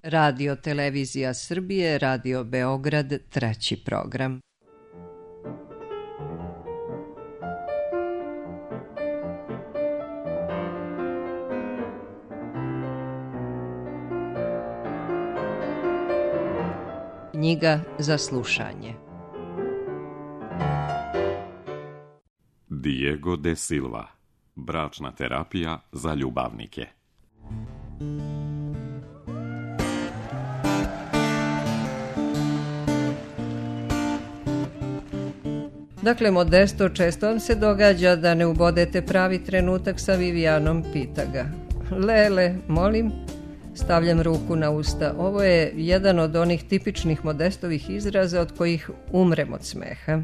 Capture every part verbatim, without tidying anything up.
Radio Televizija Srbije, Radio Beograd, treći program. Knjiga za slušanje. Diego de Silva. Bračna terapija za ljubavnike. Dakle, Modesto, često vam se događa da ne ubodete pravi trenutak sa Vivijanom, pita ga. Lele, molim? Stavljam ruku na usta. Ovo je jedan od onih tipičnih Modestovih izraza od kojih umrem od smeha.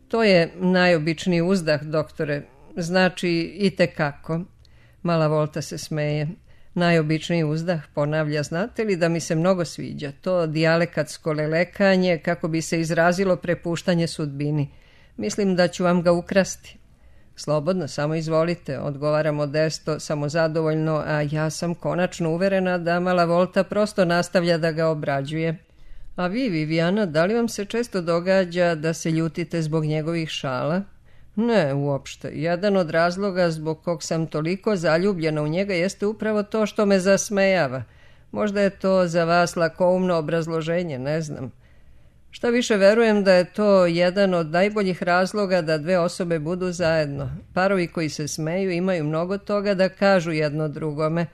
To je najobičniji uzdah, doktore. Znači i tekako. Mala Volta se smeje. Najobičniji uzdah, ponavlja, znate li da mi se mnogo sviđa? To dijalekatsko lelekanje, kako bi se izrazilo prepuštanje sudbini. Mislim da ću vam ga ukrasti. Slobodno, samo izvolite, odgovara Modesto, samozadovoljno, a ja sam konačno uverena da mala Volta prosto nastavlja da ga obrađuje. A vi, Vivijana, da li vam se često događa da se ljutite zbog njegovih šala? Ne, uopšte. Jedan od razloga zbog kog sam toliko zaljubljena u njega jeste upravo to što me zasmejava. Možda je to za vas lakoumno obrazloženje, ne znam. Šta više, verujem da je to jedan od najboljih razloga da dve osobe budu zajedno. Parovi koji se smeju imaju mnogo toga da kažu jedno drugome.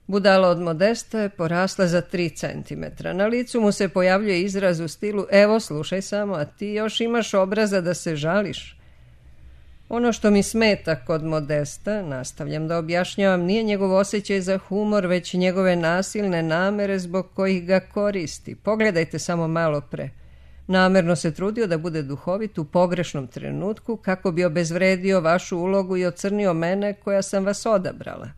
Budala od Modesta je porasla za tri centimetra. Na licu mu se pojavljuje izraz u stilu: evo, slušaj samo, a ti još imaš obraza da se žališ. Ono što mi smeta kod Modesta, nastavljam da objašnjavam, nije njegov osjećaj za humor, već njegove nasilne namere zbog kojih ga koristi. Pogledajte samo malo pre. Namerno se trudio da bude duhovit u pogrešnom trenutku kako bi obezvredio vašu ulogu i ocrnio mene koja sam vas odabrala.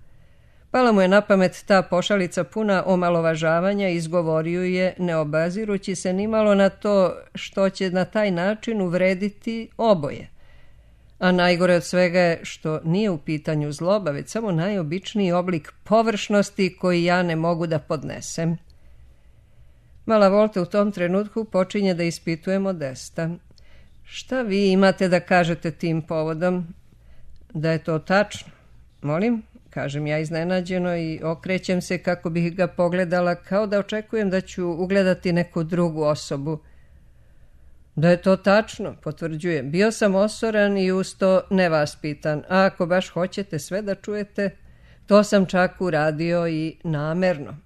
Pala mu je na pamet ta pošalica puna omalovažavanja i izgovorio je, ne obazirući se nimalo na to što će na taj način uvrediti oboje. A najgore od svega je što nije u pitanju zloba, već samo najobičniji oblik površnosti koji ja ne mogu da podnesem. Mala Volta u tom trenutku počinje da ispituje Modesta. Šta vi imate da kažete tim povodom? Da je to tačno? Molim? Kažem ja iznenađeno i okrećem se kako bih ga pogledala, kao da očekujem da ću ugledati neku drugu osobu. Da je to tačno, potvrđuje. Bio sam osoran i uz to nevaspitan, a ako baš hoćete sve da čujete, to sam čak uradio i namerno.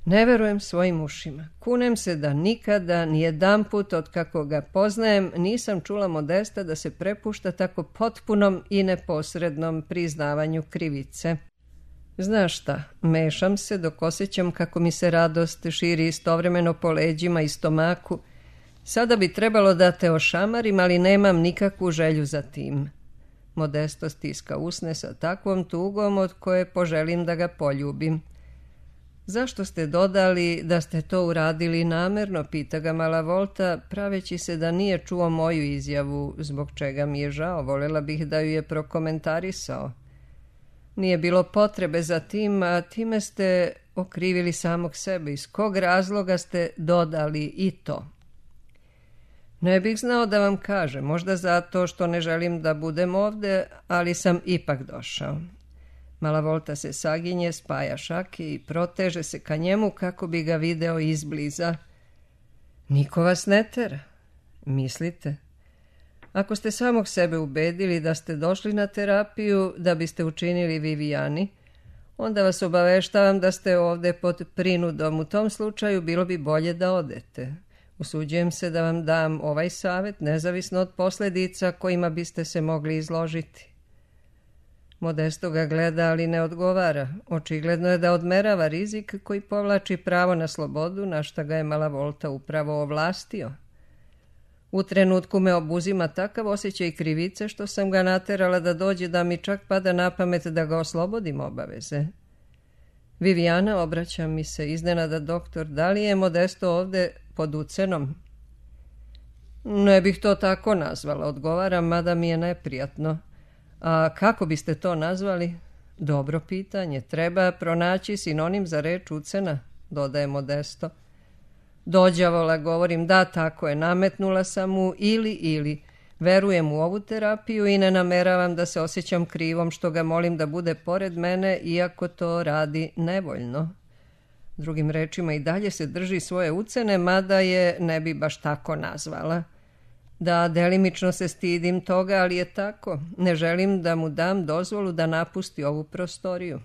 Ne verujem svojim ušima. Kunem se da nikada, ni jedanput od kako ga poznajem, nisam čula Modesta da se prepušta tako potpunom i neposrednom priznavanju krivice. Znaš šta, mešam se dok osjećam kako mi se radost širi istovremeno po leđima i stomaku. Sada bi trebalo da te ošamarim, ali nemam nikakvu želju za tim. Modesto stiska usne sa takvom tugom od koje poželim da ga poljubim. Zašto ste dodali da ste to uradili namerno, pita ga mala Volta, praveći se da nije čuo moju izjavu, zbog čega mi je žao, volela bih da ju je prokomentarisao. Nije bilo potrebe za tim, a time ste okrivili samog sebe. Iz kog razloga ste dodali i to? Ne bih znao da vam kažem, možda zato što ne želim da budem ovde, ali sam ipak došao. Mala Volta se saginje, spaja šake i proteže se ka njemu kako bi ga video izbliza. Niko vas ne tera. Mislite? Ako ste samog sebe ubedili da ste došli na terapiju da biste učinili Vivijani, onda vas obaveštavam da ste ovde pod prinudom. U tom slučaju bilo bi bolje da odete. Usuđujem se da vam dam ovaj savjet, nezavisno od posljedica kojima biste se mogli izložiti. Modesto ga gleda, ali ne odgovara. Očigledno je da odmerava rizik koji povlači pravo na slobodu, na šta ga je mala Volta upravo ovlastio. U trenutku me obuzima takav osjećaj krivice što sam ga naterala da dođe da mi čak pada na pamet da ga oslobodim obaveze. Vivijana, obraća mi se iznenada doktor, da li je Modesto ovde pod ucenom? Ne bih to tako nazvala, odgovaram, mada mi je neprijatno. A kako biste to nazvali? Dobro pitanje. Treba pronaći sinonim za reč ucena, dodaje Modesto. Dođavola, govorim, da, tako je, nametnula sam mu ili ili. Verujem u ovu terapiju i ne nameravam da se osjećam krivom što ga molim da bude pored mene, iako to radi nevoljno. Drugim rečima, i dalje se drži svoje ucene, mada je ne bi baš tako nazvala. Da, delimično se stidim toga, ali je tako. Ne želim da mu dam dozvolu da napusti ovu prostoriju.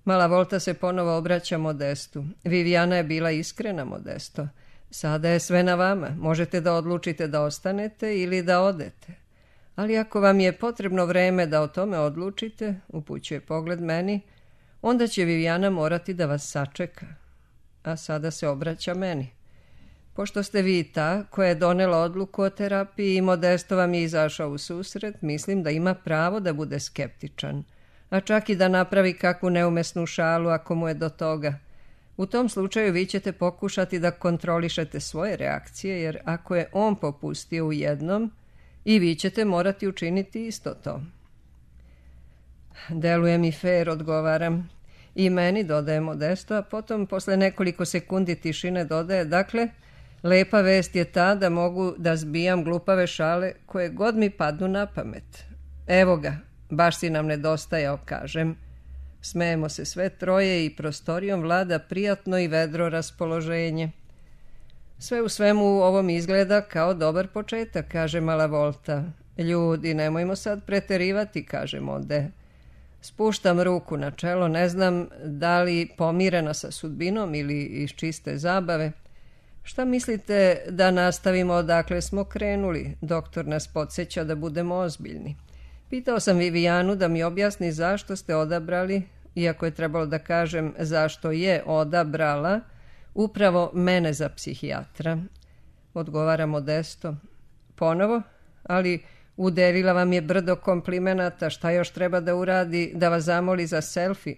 Mala Volta se ponovo obraća Modestu. Viviana je bila iskrena, Modesto. Sada je sve na vama. Možete da odlučite da ostanete ili da odete. Ali ako vam je potrebno vreme da o tome odlučite, upućuje pogled meni, onda će Viviana morati da vas sačeka. A sada se obraća meni. Pošto ste vi ta koja je donela odluku o terapiji i Modesto vam je izašao u susret, mislim da ima pravo da bude skeptičan, a čak i da napravi kakvu neumesnu šalu ako mu je do toga. U tom slučaju vi ćete pokušati da kontrolišete svoje reakcije, jer ako je on popustio u jednom, i vi ćete morati učiniti isto to. Deluje mi fer, odgovaram. I meni, dodaje Modesto, a potom posle nekoliko sekundi tišine dodaje, dakle, lepa vest je ta da mogu da zbijam glupave šale koje god mi padnu na pamet. Evo ga, baš si nam nedostajao, kažem. Smejemo se sve troje i prostorijom vlada prijatno i vedro raspoloženje. Sve u svemu ovom izgleda kao dobar početak, kaže Mala Volta. Ljudi, nemojmo sad preterivati, kaže Mode. Spuštam ruku na čelo, ne znam da li pomirena sa sudbinom ili iz čiste zabave. Šta mislite da nastavimo odakle smo krenuli? Doktor nas podsjeća da budemo ozbiljni. Pitao sam Vivijanu da mi objasni zašto ste odabrali, iako je trebalo da kažem zašto je odabrala, upravo mene za psihijatra. Odgovara Modesto. Ponovo? Ali udelila vam je brdo komplimenata, šta još treba da uradi, da vas zamoli za selfie?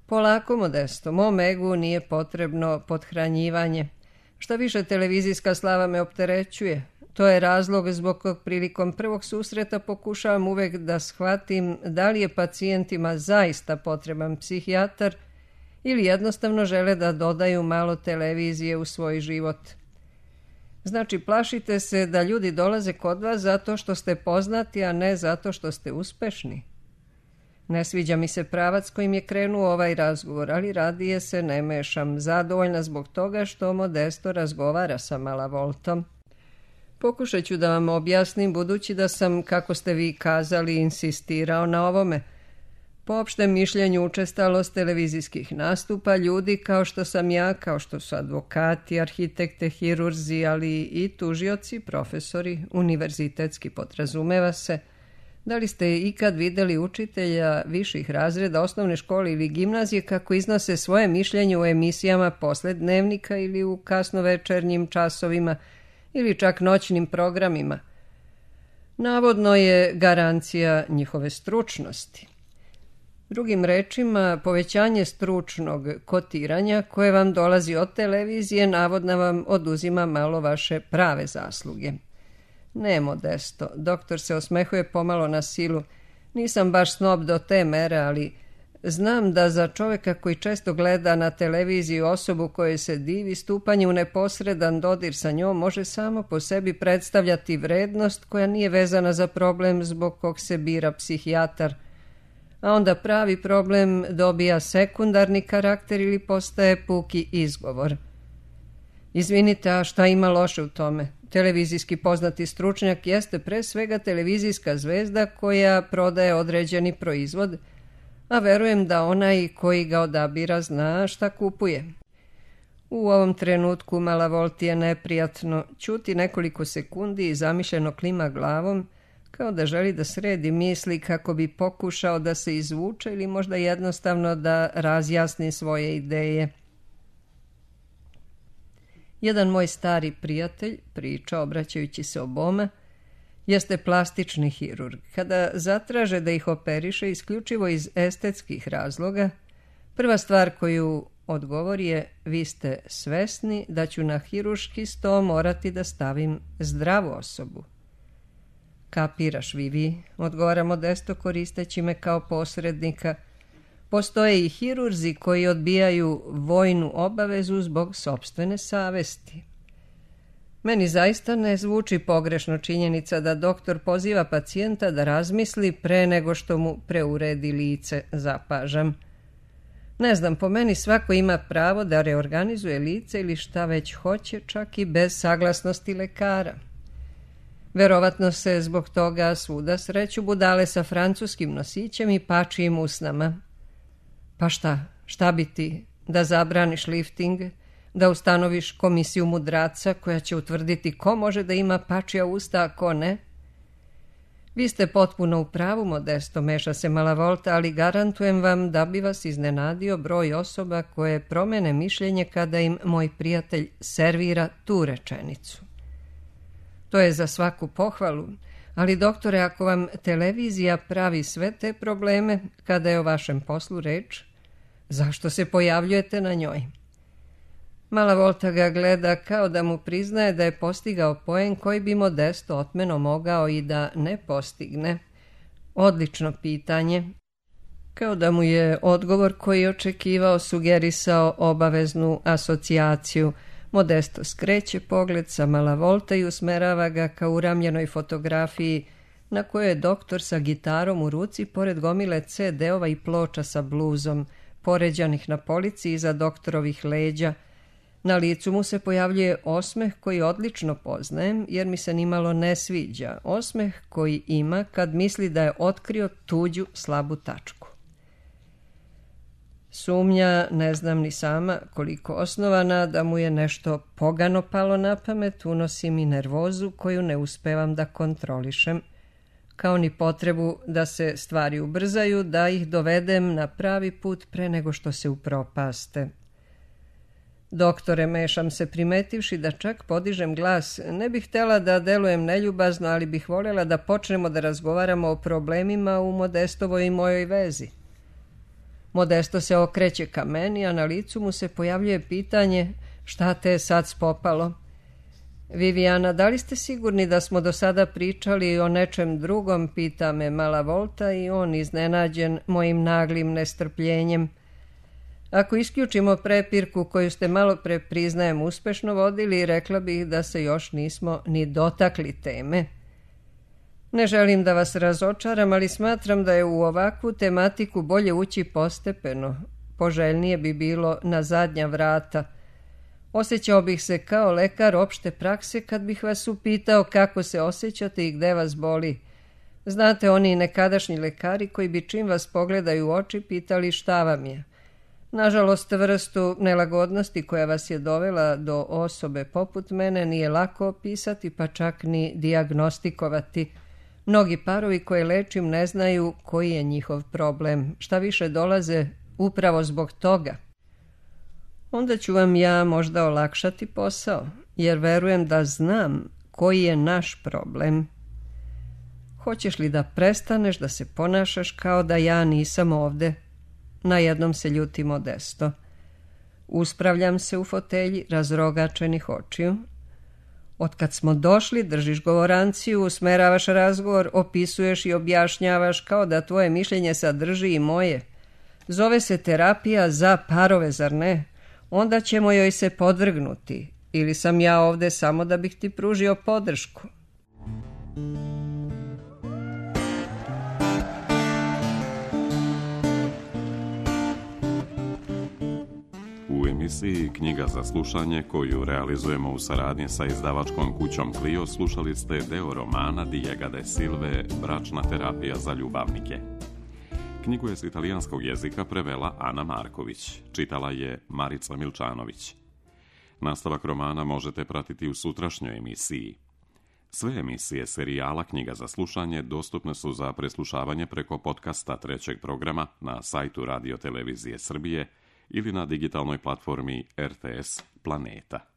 Polako, Modesto, mom egu nije potrebno pothranjivanje. Šta više, televizijska slava me opterećuje. To je razlog zbog kog prilikom prvog susreta pokušavam uvek da shvatim da li je pacijentima zaista potreban psihijatar ili jednostavno žele da dodaju malo televizije u svoj život. Znači, plašite se da ljudi dolaze kod vas zato što ste poznati, a ne zato što ste uspešni. Ne sviđa mi se pravac kojim je krenuo ovaj razgovor, ali radije se ne mešam, zadovoljna zbog toga što Modesto razgovara sa Mala Voltom. Pokušat ću da vam objasnim, budući da sam, kako ste vi kazali, insistirao na ovome. Po opštem mišljenju učestalost televizijskih nastupa ljudi kao što sam ja, kao što su advokati, arhitekte, hirurzi, ali i tužioci, profesori, univerzitetski podrazumeva se. Da li ste ikad videli učitelja viših razreda osnovne škole ili gimnazije kako iznose svoje mišljenje u emisijama posle dnevnika ili u kasnovečernjim časovima ili čak noćnim programima? Navodno je garancija njihove stručnosti. Drugim rečima, povećanje stručnog kotiranja koje vam dolazi od televizije navodno vam oduzima malo vaše prave zasluge. Ne, Modesto, doktor se osmehuje pomalo na silu. Nisam baš snob do te mere, ali znam da za čoveka koji često gleda na televiziju osobu kojoj se divi, stupanje u neposredan dodir sa njom može samo po sebi predstavljati vrednost koja nije vezana za problem zbog kog se bira psihijatar, a onda pravi problem dobija sekundarni karakter ili postaje puki izgovor. Izvinite, a šta ima loše u tome? Televizijski poznati stručnjak jeste pre svega televizijska zvezda koja prodaje određeni proizvod, a verujem da onaj koji ga odabira zna šta kupuje. U ovom trenutku Mala Volti je neprijatno, ćuti nekoliko sekundi i zamišljeno klima glavom, kao da želi da sredi misli kako bi pokušao da se izvuče ili možda jednostavno da razjasni svoje ideje. Jedan moj stari prijatelj, priča obraćajući se oboma, jeste plastični hirurg. Kada zatraže da ih operiše isključivo iz estetskih razloga, prva stvar koju odgovori je: vi ste svesni da ću na hirurški sto morati da stavim zdravu osobu. Kapiraš, Vivi, odgovara Modesto koristeći me kao posrednika. Postoje i hirurzi koji odbijaju vojnu obavezu zbog sopstvene savesti. Meni zaista ne zvuči pogrešno činjenica da doktor poziva pacijenta da razmisli pre nego što mu preuredi lice, zapažam. Ne znam, po meni svako ima pravo da reorganizuje lice ili šta već hoće, čak i bez saglasnosti lekara. Verovatno se zbog toga svuda sreću budale sa francuskim nosićem i pačijim usnama. Pa šta, šta bi ti? Da zabraniš lifting? Da ustanoviš komisiju mudraca koja će utvrditi ko može da ima pačija usta, a ko ne? Vi ste potpuno u pravu, Modesto, meša se Malavolta, ali garantujem vam da bi vas iznenadio broj osoba koje promene mišljenje kada im moj prijatelj servira tu rečenicu. To je za svaku pohvalu, ali doktore, ako vam televizija pravi sve te probleme kada je o vašem poslu reč, zašto se pojavljujete na njoj? Malavolta ga gleda kao da mu priznaje da je postigao poen koji bi Modesto otmeno mogao i da ne postigne. Odlično pitanje. Kao da mu je odgovor koji je očekivao sugerisao obaveznu asocijaciju. Modesto skreće pogled sa Malavolta i usmerava ga ka uramljenoj fotografiji na kojoj je doktor sa gitarom u ruci pored gomile ce de-ova i ploča sa bluzom, poređanih na polici iza doktorovih leđa. Na licu mu se pojavljuje osmeh koji odlično poznajem jer mi se nimalo ne sviđa, osmeh koji ima kad misli da je otkrio tuđu slabu tačku. Sumnja, ne znam ni sama koliko osnovana, da mu je nešto pogano palo na pamet, unosi mi nervozu koju ne uspevam da kontrolišem, kao ni potrebu da se stvari ubrzaju, da ih dovedem na pravi put pre nego što se upropaste. Doktore, mešam se, primetivši da čak podižem glas. Ne bih htjela da delujem neljubazno, ali bih voljela da počnemo da razgovaramo o problemima u Modestovoj i mojoj vezi. Modesto se okreće ka meni, a na licu mu se pojavljuje pitanje šta te je sad spopalo. Viviana, da li ste sigurni da smo do sada pričali o nečem drugom, pita me Malavolta i on iznenađen mojim naglim nestrpljenjem. Ako isključimo prepirku koju ste malo pre, priznajem, uspešno vodili, rekla bih da se još nismo ni dotakli teme. Ne želim da vas razočaram, ali smatram da je u ovakvu tematiku bolje ući postepeno. Poželjnije bi bilo na zadnja vrata. Osjećao bih se kao lekar opšte prakse kad bih vas upitao kako se osjećate i gde vas boli. Znate, oni nekadašnji lekari koji bi čim vas pogledaju u oči pitali šta vam je. Nažalost, vrstu nelagodnosti koja vas je dovela do osobe poput mene nije lako opisati, pa čak ni dijagnostikovati. Mnogi parovi koje lečim ne znaju koji je njihov problem, šta više dolaze upravo zbog toga. Onda ću vam ja možda olakšati posao, jer verujem da znam koji je naš problem. Hoćeš li da prestaneš da se ponašaš kao da ja nisam ovde? Najednom se ljuti Modesto. Uspravljam se u fotelji razrogačenih očiju. Otkad smo došli, držiš govoranciju, usmeravaš razgovor, opisuješ i objašnjavaš kao da tvoje mišljenje sadrži i moje. Zove se terapija za parove, zar ne? Onda ćemo joj se podvrgnuti. Ili sam ja ovde samo da bih ti pružio podršku? U emisiji Knjiga za slušanje, koju realizujemo u saradnji sa izdavačkom kućom Clio, slušali ste deo romana Diega de Silve Bračna terapija za ljubavnike. Knjigu je s italijanskog jezika prevela Ana Marković, čitala je Marica Milčanović. Nastavak romana možete pratiti u sutrašnjoj emisiji. Sve emisije serijala Knjiga za slušanje dostupne su za preslušavanje preko podcasta trećeg programa na sajtu Radio Televizije Srbije ili na digitalnoj platformi R T S Planeta.